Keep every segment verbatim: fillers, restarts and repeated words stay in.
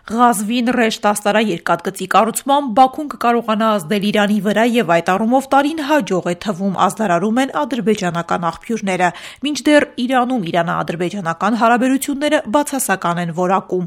Ղազվին ռեշտ աստարաերկաթգծի կառուցմամբ Բաքուն կկարողանա ազդել Իրանի վրա եւ այդ առումով տարին հաջող է թվում, ազդարարում են ադրբեջանական աղբյուրները, մինչդեռ Իրանում իրանա-ադրբեջանական հարաբերությունները բացասական են որակում։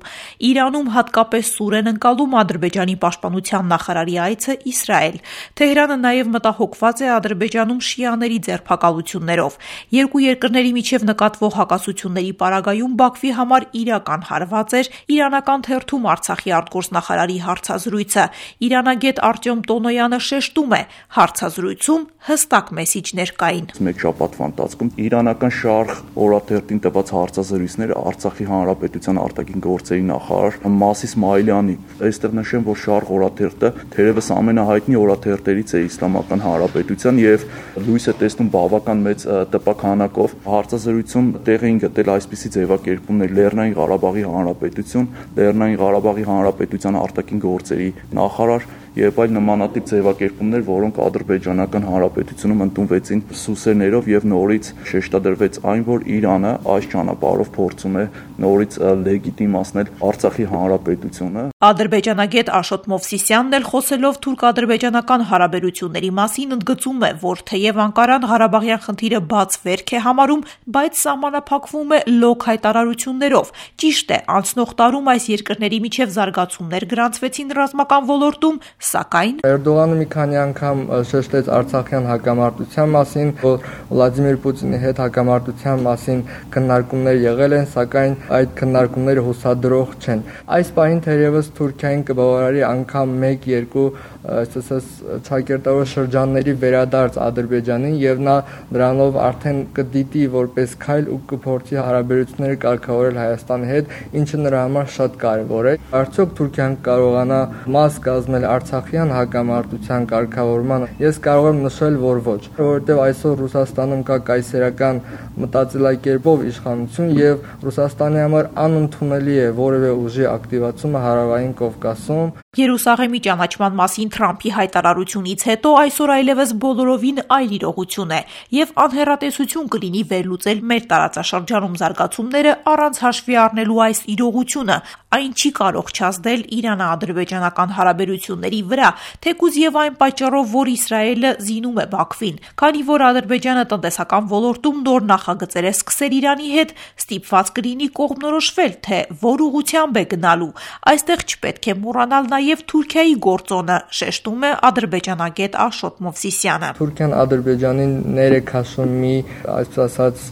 Իրանում հատկապես սուր են ընկալում Ադրբեջանի պաշտպանության նախարարի այցը Իսրայել։ Թեհրանը նաեւ մտահոգված է Ադրբեջանում շիաների ձերբակալություններով։ Երկու երկրների միջև նկատվող հակասությունների պարագայում Բաքվի համար իրական հարված էր իրանական թերթում Արցախի արտգործնախարարի հարցազրույցը։ Իրանագետ Արտյոմ Տոնոյանը շեշտում է, հարցազրույցում հստակ մեսիջներ կային։ Մեկ շաբաթվա ընթացքում իրանական Շարխ օրաթերթին տված հարցազրույցները Արցախի հանրապետության արտաքին գործերի նախարար Մասիս Սմայլյանի, այստեղ նշեմ, որ Շարխ օրաթերթը թերևս ամենահայտնի օրաթերթերից է իսլամական հանրապետության եւ լույս է տեսնում բավական մեծ տպաքանակով։ Հարցազրույցում տեղ էին գտել այսպիսի ձևակերպումներ՝ Լեռնային Ղարաբաղի հանրապետություն, Լեռնային Ղարաբաղի հանրապետության արտաքին գործերի նախարար եւ այլ նմանատիպ ձևակերպումներ, որոնք ադրբեջանական հանրապետությունում ընդունվեցին սուսերներով եւ նորից շեշտադրվեց այն, որ Իրանը այս ճանապարհով փորձում է նորից լեգիտիմացնել Արցախի հանրապետությունը։ Ադրբեջանագետ Աշոտ Մովսիսյանն էլ խոսելով թուրք-ադրբեջանական հարաբերությունների մասին ընդգծում է, որ թեև Անկարան Ղարաբաղյան խնդիրը բաց վերք է համարում, բայց սահմանափակվում է լոկ հայտարարություններով։ Ճիշտ է, անցնող տարում այս երկրների միջև զարգացումներ գրանցվեցին ռազմական ոլորտում, սակայն Էրդողանը մի քանի անգամ շեշտեց Արցախյան հակամարտության մասին, որ Վլադիմիր Պուտինի հետ հակամարտության մասին քննարկումներ եղել են, սակայն այդ քննարկումները հուսադրող չեն։ Այս պահին թերևս Թուրքիային կբավարարի անգամ մեկ-երկու այսպես ճակերտավոր շրջանների վերադարձ Ադրբեջանին եւ նա դրանով արդեն կդիտի որպես քայլ ու կփորձի հարաբերությունները կարգավորել Հայաստանի հետ, ինչը նրա համար շատ կարեւոր է։ Արդյոք Թուրքիան կարողանա մաս կազմել Արցախյան հակամարտության կարգավորմանը։ Ես կարող եմ նշել, որ ոչ, որովհետեւ այսօր Ռուսաստանում կա կայսերական մտածելակերպով իշխանություն եւ Ռուսաստանի համար անընդունելի է որևէ ուժի ակտիվացումը Հարավային Կովկասում։ Երուսաղեմի ճանաչման մասին Թրամփի հայտարարությունից հետո այսօր այլևս բոլորովին այլ իրողություն է եւ անհեռատեսություն կլինի վերլուծել մեր տարածաշրջանում զարգացումները առանց հաշվի առնելու այս իրողությունը։ Այն չի կարող չազդել Իրано-ադրբեջանական հարաբերությունների վրա, թեկուզ եւ այն պատճառով, որ Իսրայելը զինում է Բաքվին, քանի որ Ադրբեջանը տնտեսական ոլորտում նոր նախագծեր է սկսել Իրանի հետ, ստիպված կլինի կողմնորոշվել, թե որ ուղղությամբ է գնալու։ Այստեղ չպետք է մոռանալ նաեւ Թուրքիայի գործոնը, շեշտում է ադրբեջանագետ Աշոտ Մովսիսյանը։ Թուրքիան Ադրբեջանին ներեք հաշվում մի, այսպես ասած,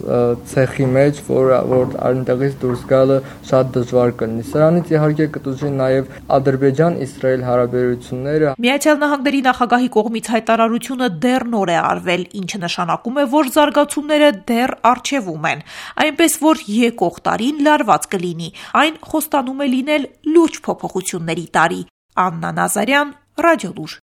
ցեխի մեջ, որ որ այնտեղից դուրս գալը շատ դժվար կլինի։ Սրանից իհարկե կտուժի նաեւ Ադրբեջան-Իսրայել հարաբերությունները։ Միացյալ Նահանգների նախագահի կողմից հայտարարությունը դեռ նոր է արվել, ինչը նշանակում է, որ զարգացումները դեռ առջևում են, այնպես որ եկող տարին լարված կլինի։ Այն խոստանում է լինել լուրջ փոփոխությունների տարի։ Աննա Նազարյան, Ռադիոլուր։